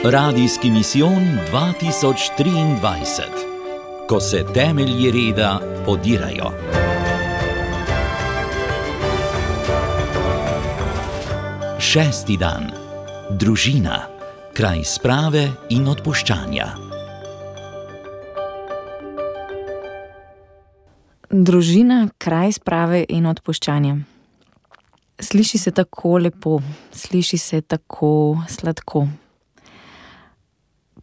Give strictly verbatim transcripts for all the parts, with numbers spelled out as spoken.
Radijski misijon dva tisoč triindvajset. Ko se temelji reda podirajo. Šesti dan. Družina. Kraj sprave in odpuščanja. Družina, kraj sprave in odpuščanja. Sliši se tako lepo, sliši se tako sladko.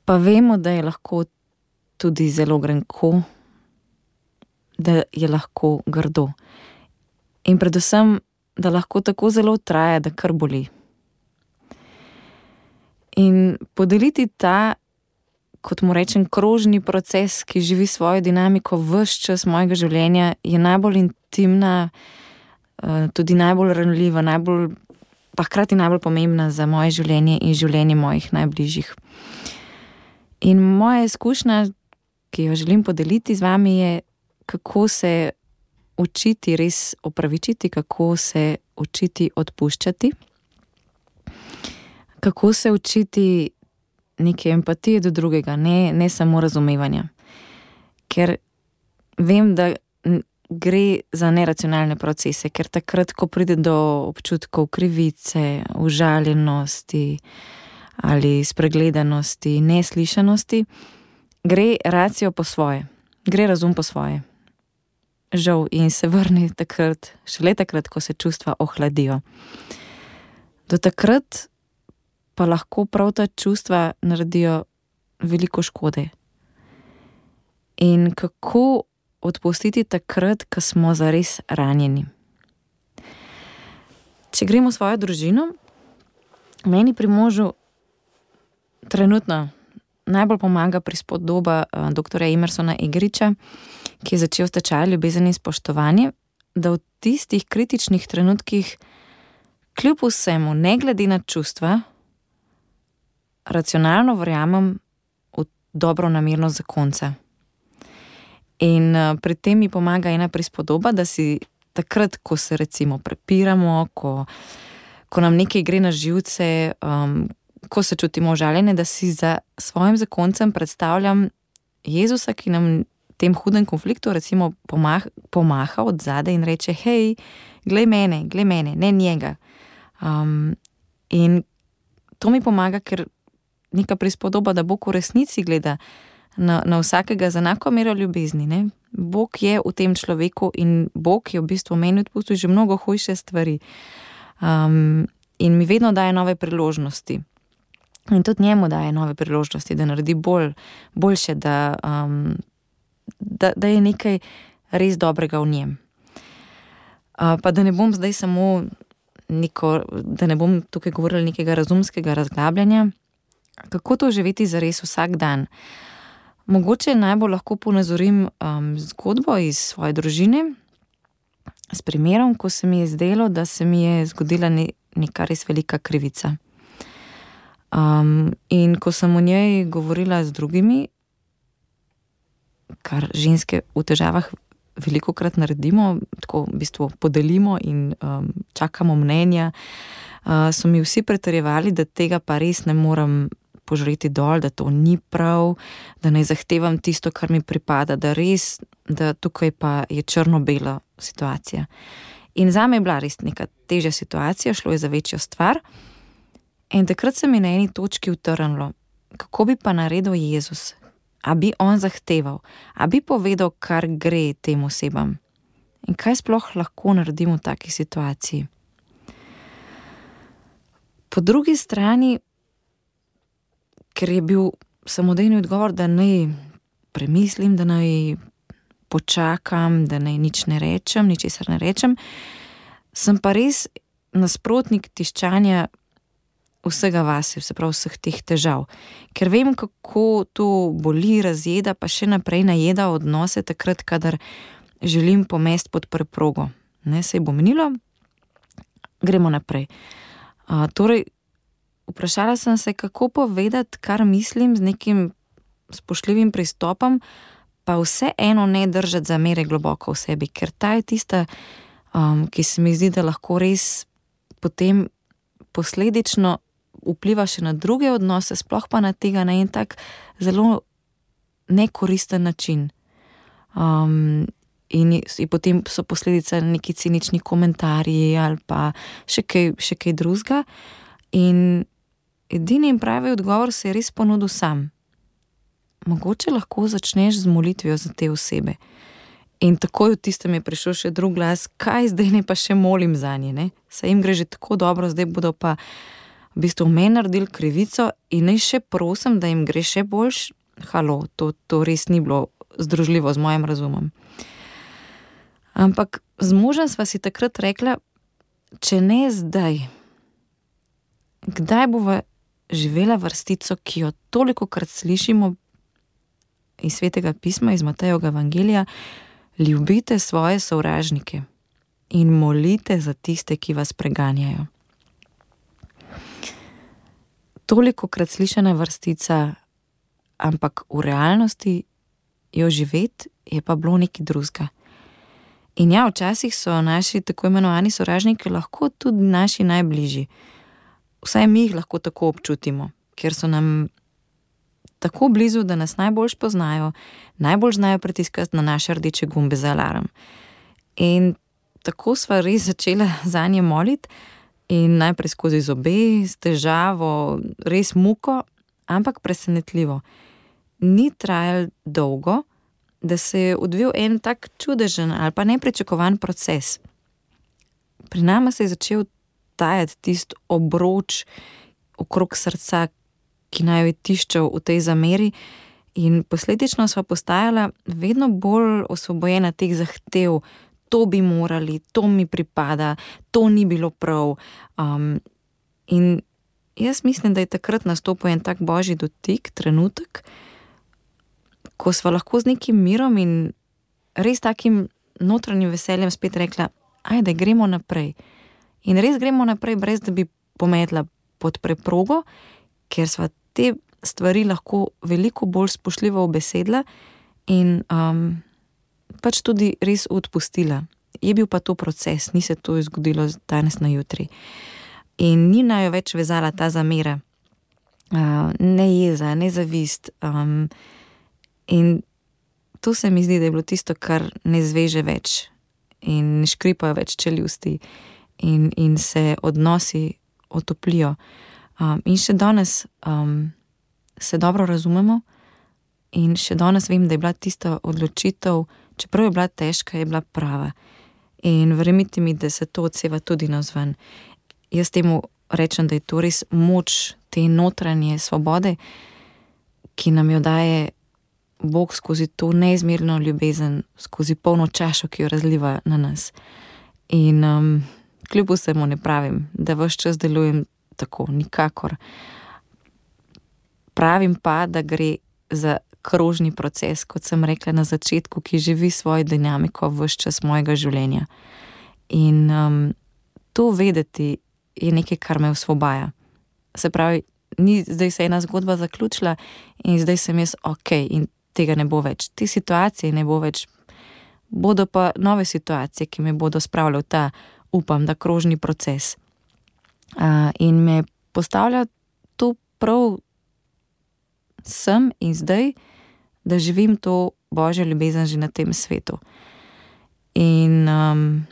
Pa vemo, da je lahko tudi zelo grenko, da je lahko grdo. In predvsem, da lahko tako zelo traja, da kar boli. In podeliti ta, kot mu rečem, krožni proces, ki živi svojo dinamiko ves čas mojega življenja, je najbolj intimna, tudi najbolj ranljiva, najbolj, pa hkrati najbolj pomembna za moje življenje in življenje mojih najbližjih. In moja izkušnja, ki jo želim podeliti z vami, je, kako se učiti res opravičiti, kako se učiti odpuščati, kako se učiti neke empatije do drugega, ne, ne samo razumevanja. Ker vem, da gre za neracionalne procese, ker takrat, ko pride do občutkov krivice, užaljenosti ali spregledanosti, neslišanosti, gre racijo po svoje, gre razum po svoje. Žal, in se vrne takrat, šele takrat, ko se čustva ohladijo. Do takrat pa lahko prav ta čustva naredijo veliko škode. In kako odpustiti takrat, ko smo zares ranjeni? Če gremo v svojo družino, meni pri možu trenutno najbolj pomaga prispodoba doktorja Emersona Eggericha, ki je začel s tečajem ljubezni in spoštovanje, da v tistih kritičnih trenutkih kljub vsemu, ne glede na čustva, racionalno verjamem v dobronamernost zakonca. In pri tem mi pomaga ena prispodoba, da si takrat, ko se recimo prepiramo, ko, ko nam nekaj gre na živce, um, ko se čutimo užaljene, da si za svojim zakoncem predstavljam Jezusa, ki nam v tem hudem konfliktu recimo pomah, pomaha od zadaj in reče: hej, glej mene, glej mene, ne njega. Um, in to mi pomaga, ker neka prispodoba, da Bog v resnici gleda na, na vsakega z enako mero ljubezni. Ne? Bog je v tem človeku in Bog je v bistvu meni odpustil že mnogo hujše stvari. Um, in mi vedno daje nove priložnosti. In tudi njemu daje nove priložnosti, da naredi bolj, boljše, da, um, da, da je nekaj res dobrega v njem. Uh, pa da ne bom zdaj samo neko, da ne bom tukaj govorila nekega razumskega razglabljanja, kako to živeti zares vsak dan. Mogoče najbolj lahko ponazorim um, zgodbo iz svoje družine s primerom, ko se mi je zdelo, da se mi je zgodila ne, neka res velika krivica. Um, in ko sem o njej govorila z drugimi, kar ženske v težavah velikokrat naredimo, tako v bistvu podelimo in um, čakamo mnenja, uh, so mi vsi pretrjevali, da tega pa res ne morem požreti dol, da to ni prav, da ne zahtevam tisto, kar mi pripada, da res, da tukaj pa je črno-bela situacija. In zame je bila res neka težja situacija, šlo je za večjo stvar. In takrat se mi na eni točki utrnilo, kako bi pa naredil Jezus? A bi on zahteval? A bi povedal, kar gre tem osebam? In kaj sploh lahko naredimo v taki situaciji? Po drugi strani, ker je bil samodejni odgovor, da naj premislim, da naj počakam, da naj nič ne rečem, ničesar ne rečem, sem pa res nasprotnik tiščanja vsega vase, se pravi vseh teh težav. Ker vem, kako to boli, razjeda, pa še naprej najeda odnose takrat, kadar želim pomesti pod preprogo. Ne, saj bo minilo, gremo naprej. Uh, torej, vprašala sem se, kako povedati, kar mislim, z nekim spoštljivim pristopom, pa vse eno ne držati zamere globoko v sebi, ker ta je tista, um, ki se mi zdi, da lahko res potem posledično vpliva še na druge odnose, sploh pa na tega na en tak zelo nekoristen način. Um, in, in potem so posledice neki cinični komentarji ali pa še kaj, še kaj drugega. In edini in pravi odgovor se je res ponudil sam. Mogoče lahko začneš z molitvijo za te osebe. In takoj v tistem je prišel še drug glas, kaj zdaj ne pa še molim za nje, ne? Saj jim gre že tako dobro, zdaj bodo pa v bistvu v meni naredili krivico in naj še prosim, da jim gre še boljš. Halo, to, to res ni bilo združljivo z mojim razumom. Ampak z možem sva si takrat rekla, če ne zdaj, kdaj bova živela vrstico, ki jo tolikokrat slišimo iz Svetega pisma, iz Matejevega evangelija, ljubite svoje sovražnike in molite za tiste, ki vas preganjajo. Tolikokrat slišana vrstica, ampak v realnosti jo živeti je pa bilo nekaj drugega. In ja, včasih so naši tako imenovani sovražniki lahko tudi naši najbližji. Vsaj mi jih lahko tako občutimo, ker so nam tako blizu, da nas najbolj poznajo, najbolj znajo pritiskati na naše rdeče gumbe za alarm. In tako sva res začela zanje moliti in najprej skozi zobe, s težavo, res muko, ampak presenetljivo. Ni trajalo dolgo, da se je odvil en tak čudežen ali pa nepričakovan proces. Pri nama se je začel tajati tist obroč okrog srca, ki naj jo je tiščal v tej zameri, in posledično sva postajala vedno bolj osvobojena teh zahtev, to bi morali, to mi pripada, to ni bilo prav. Um, in jaz mislim, da je takrat nastopil en tak božji dotik, trenutek, ko sva lahko z nekim mirom in res takim notranjim veseljem spet rekla, ajde, gremo naprej. In res gremo naprej, brez da bi pometla pod preprogo, ker sva te stvari lahko veliko bolj spoštljivo obesedla in um, pač tudi res odpustila. Je bil pa to proces, ni se to zgodilo danes na jutri. In ni najo več vezala ta zamera, uh, ne jeza, ne zavist. Um, in to se mi zdi, da je bilo tisto, kar ne zveže več in ne škripajo več čeljusti in, in se odnosi otoplijo. Um, in še danes um, se dobro razumemo in še danes vem, da je bila tista odločitev, čeprav je bila težka, je bila prava. In verjemite mi, da se to odseva tudi navzven. Jaz temu rečem, da je to res moč te notranje svobode, ki nam jo daje Bog skozi to neizmerno ljubezen, skozi polno čašo, ki jo razliva na nas. In um, kljub vsemu ne pravim, da ves čas delujem tako, nikakor. Pravim pa, da gre za krožni proces, kot sem rekla na začetku, ki živi svojo dinamiko ves čas mojega življenja. In um, to vedeti je nekaj, kar me osvobaja. Se pravi, ni zdaj se ena zgodba zaključila in zdaj sem jaz ok in tega ne bo več. Te situacije ne bo več. Bodo pa nove situacije, ki me bodo spravljali v ta, upam, da krožni proces. Uh, in me postavlja to prav sem in zdaj, da živim to božjo ljubezen že na tem svetu. In um,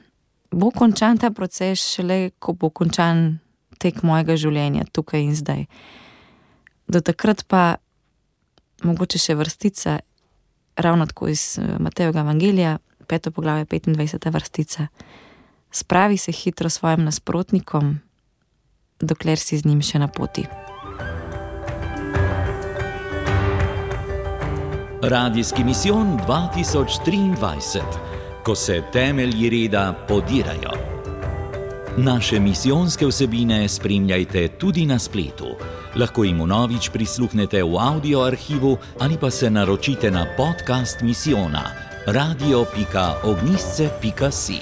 bo končan ta proces šele, ko bo končan tek mojega življenja tukaj in zdaj. Do takrat pa mogoče še vrstica, ravno tako iz Matejevega evangelija, peto poglavje, petindvajseta vrstica. Spravi se hitro svojim nasprotnikom, dokler si z njim še na poti. Radijski misijon dva tisoč triindvajset, ko se temelji reda podirajo. Naše misijonske vsebine spremljajte tudi na spletu. Lahko jim vnovič prisluhnete v audio arhivu ali pa se naročite na podcast misijona radio pika ognjišče pika si.